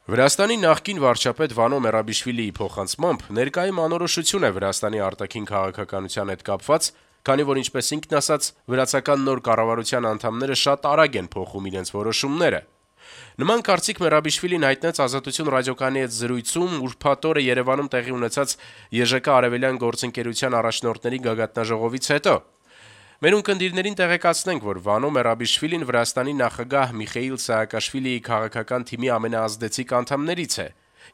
Վրաստանի նախկին վարչապետ Վանո Մերաբիշվիլիի փոխանցմամբ ներկայում անորոշություն է Վրաստանի արտաքին քաղաքականության հետ կապված, քանի որ ինչպես ինքն ասաց, վրացական նոր կառավարության անդամները շատ արագ են փոխում իրենց որոշումները։ Նման կարծիք Մերաբիշվիլին հայտնեց Ազատություն ռադիոկայանի հետ զրույցում ուրբաթ օրը Երևանում տեղի ունեցած ԵԺԿ Արևելյան գործընկերության առաջնորդների գագաթնաժողովից հետո։ Մեր ունկնդիրներին տեղեկացնենք, որ Վանո Մերաբիշվիլին Վրաստանի նախագահ Միխեիլ Սահակաշվիլիի քաղաքական թիմի ամենաազդեցիկ անդամներից է։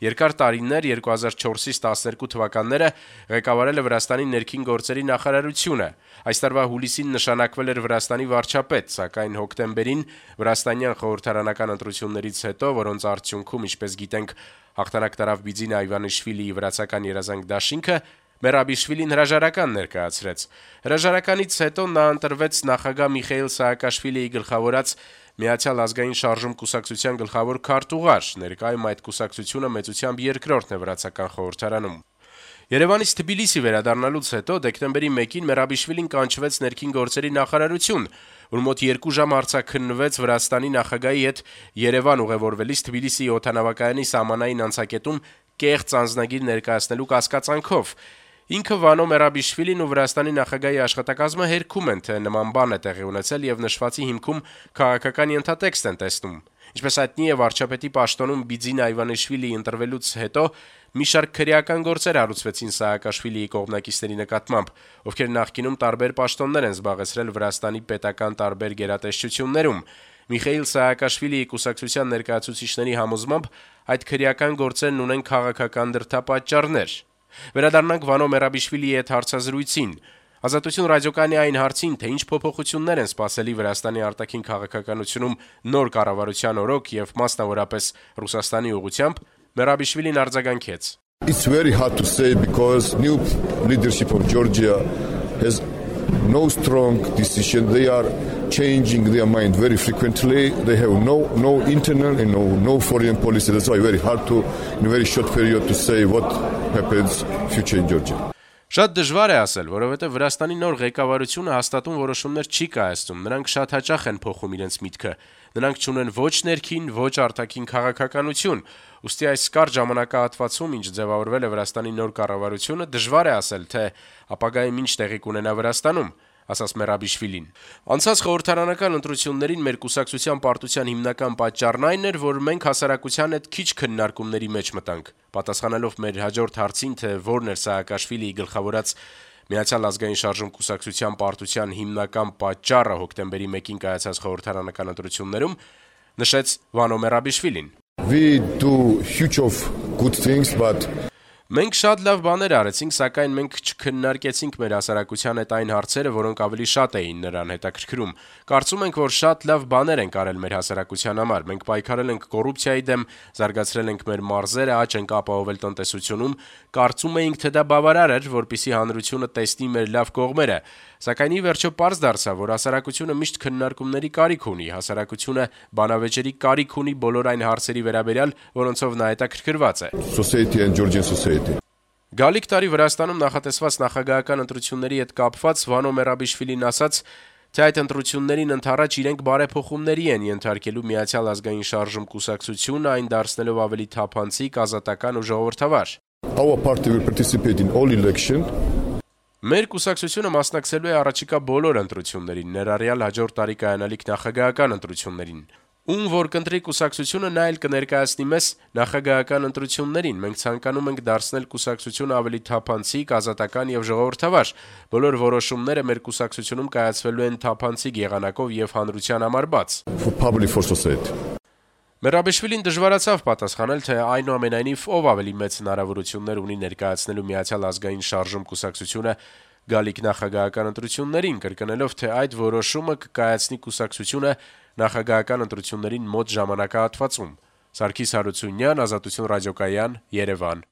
Երկար տարիներ 2004-ից 12 թվականները ղեկավարել է Վրաստանի ներքին գործերի նախարարությունը։ Այս տարվա հուլիսին նշանակվել էր Վրաստանի վարչապետ, սակայն հոկտեմբերին Վրաստանյան խորհրդարանական ընտրություններից հետո, որոնց արդյունքում, ինչպես գիտենք, հաղթանակ տարավ Բիձինա Իվանիշվիլիի վրացական երազանք դաշինքը, Մերաբիշվիլին հրաժարական ներկայացրեց։ Հրաժարականից հետո նա ընտրվեց նախագահ Միխեիլ Սահակաշվիլիի գլխավորած Միացյալ ազգային շարժում կուսակցության գլխավոր քարտուղար, ներկայում այդ կուսակցությունը մեծությամբ երկրորդն է վրացական խորհրդարանում։ Երևանից Թբիլիսի վերադառնալուց հետո դեկտեմբերի 1-ին Մերաբիշվիլին կանչվեց ներքին գործերի նախարարություն, որ մոտ 2 ժամ արձակնվեց Վրաստանի նախագահի հետ Երևան ուղևորվելիս Թբիլիսի օդանավակայանի սահմանային անցակետում կեղծ անձնագիր ներկայացնելու կասկածանքով։ Ինքը Վանո Մերաբիշվիլին ու Վրաստանի նախագահի աշխատակազմը հերքում են, թե նման բան է տեղի ունեցել եւ նշվածի հիմքում քաղաքական ենթատեքստ են տեսնում։ Ինչպես հայտնի է, վարչապետի պաշտոնում Բիձինա Իվանիշվիլիի ընտրվելուց հետո մի շարք քրեական գործեր հարուցվեցին Սահակաշվիլիի կողմնակիցների նկատմամբ, ովքեր նախկինում տարբեր պաշտոններ են զբաղեցրել Վրաստանի պետական տարբեր գերատեսչություններում։ Միխեիլ Սահակաշվիլիի կուսակցության ներկայացուցիչների համոզմամբ այդ քրեական գործերն ունեն քաղաքական դրդապատճառներ։ Վերադառնանք Վանո Մերաբիշվիլիի հետ հարցազրույցին։ Ազատություն ռադիոկայանի այն հարցին, թե ինչ փոփոխություններ են սպասելի Վրաստանի արտաքին քաղաքականությունում նոր կառավարության օրոք եւ մասնավորապես Ռուսաստանի ուղղությամբ, Մերաբիշվիլին արձագանքեց. It's very hard to say because new leadership of Georgia has no strong decision. They are changing their mind very frequently. They have no internal and no foreign policy. That's why very hard to, in a very short period, to say what happens future in Georgia. Շատ դժվար է ասել, որովհետև Վրաստանի նոր ղեկավարությունը հաստատուն որոշումներ չի կայացնում, նրանք շատ հաճախ են փոխում իրենց միտքը, նրանք չունեն ոչ ներքին, ոչ արտաքին քաղաքականություն, ուստի այս կարճ ժամանակահատվածում, ինչ ձևավորվել է Վրաստանի նոր կառավարությունը, դժվար է ասել, թե ապագայում ինչ տեղի կունենա Վրաստանում, ասաց Մերաբիշվիլին։ Անցած խորհրդարանական ընտրություններին մեր կուսակցության պարտության հիմնական պատճառն այն էր, որ մենք հասարակության հետ քիչ քննարկումների մեջ մտանք։ Պատասխանելով մեր հաջորդ հարցին, թե որն էր Սահակաշվիլիի գլխավորած Միացյալ ազգային շարժում կուսակցության պարտության հիմնական պատճառը հոկտեմբերի 1-ին կայացած խորհրդարանական ընտրություններում, նշեց Վանո Մերաբիշվիլին. We do huge of good things, but Մենք շատ լավ բաներ արեցինք, սակայն մենք չքննարկեցինք մեր հասարակության հետ այն հարցերը, որոնք ավելի շատ էին նրան հետաքրքրում։ Կարծում ենք, որ շատ լավ բաներ ենք արել մեր հասարակության համար։ Մենք պայքարել ենք կոռուպցիայի դեմ, զարգացրել ենք մեր մարզերը, աճ ենք ապահովել տնտեսությունում։ Կարծում էինք, թե դա բավարար էր, որպեսզի հանրությունը տեսնի մեր լավ կողմերը։ Սակայն ի վերջո պարզ դարձավ, որ հասարակությունը միշտ քննարկումների կարիք ունի, հասարակությունը բանավեճերի կարիք ունի բոլոր այն հարցերի վերաբերյալ, որոնցով նա հետաքրքրված է։ society and Georgian society. Գալիք տարի Վրաստանում նախատեսված նախագահական ընտրությունների հետ կապված Վանո Մերաբիշվիլին ասաց, թե այդ ընտրություններին ընդառաջ իրենք բարեփոխումների են ենթարկելու Միացյալ ազգային շարժում կուսակցությունը, այն դարձնելով ավելի թափանցիկ, ազատական ու ժողովրդավար։ Our party will participate in all elections. Մեր կուսակցությունը մասնակցելու է առաջիկա բոլոր ընտրություններին, ներառյալ հաջորդ տարի կայանալիք նախագահական ընտրություններին։ Ում որ կընտրի կուսակցությունը, նա էլ կներկայացնի մեզ նախագահական ընտրություններին։ Մենք ցանկանում ենք դարձնել կուսակցությունը ավելի թափանցիկ, ազատական եւ ժողովրդավար։ Բոլոր որոշումները մեր կուսակցությունում կայացվելու են թափանցիկ եղանակով եւ հանրության համար բաց։ For society. Մերաբիշվիլին դժվարացավ պատասխանել, թե այնուամենայնիվ ով ավելի մեծ հնարավորություններ ունի ներկայացնելու Միացյալ ազգային շարժում կուսակցությունը գալիք նախագահական ընտրություններին, կրկնելով, թե այդ որոշումը կկայացնի կուսակցությունը նախագահական ընտրություններին մոտ ժամանակահատվածում։ Սարգիս Հարությունյան, Ազատություն ռադիոկայան, Երևան։